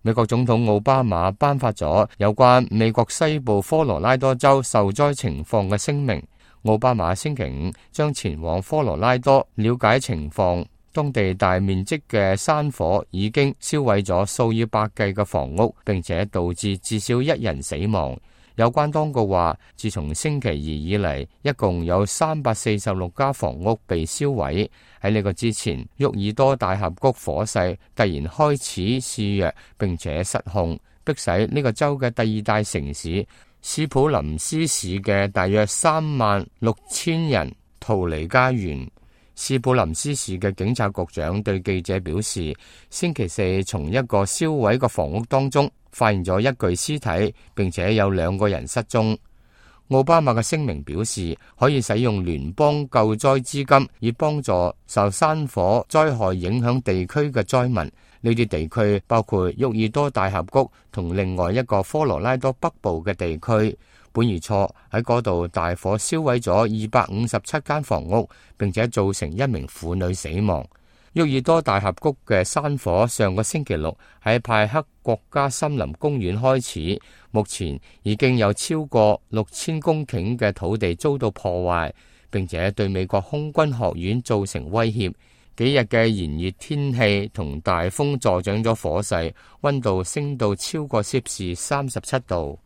美國總統奧巴馬頒發咗有關美國西部科羅拉多州受災情況嘅聲明。奧巴馬星期五將前往科羅拉多了解情況，當地大面積嘅山火已經燒毀咗數以百計嘅房屋，並且導致至少1人死亡。有關當局話，自從星期二以嚟，一共有346家房屋被燒毀。喺呢個之前，沃爾多大峽谷火勢突然開始肆虐，並且失控，迫使呢個州嘅第2大城市斯普林斯市嘅大約36000人逃離家園。斯普林斯市嘅警察局長對記者表示，星期四從一個燒毀嘅房屋當中發現咗一具屍體，並且有2個人失蹤。奧巴馬嘅聲明表示，可以使用聯邦救災資金，以幫助受山火災害影響地區嘅災民。呢啲地區包括沃爾多大峽谷同另外一個科羅拉多北部嘅地區。本月初喺嗰度大火燒毀咗257間房屋，並且造成1名婦女死亡。沃爾多大峽谷嘅山火上個星期六喺派克國家森林公園開始，目前已經有超過6000公頃嘅土地遭到破壞，並且對美國空軍學院造成威脅。幾日嘅炎熱天氣同大風助長咗火勢，溫度升到超過攝氏37度。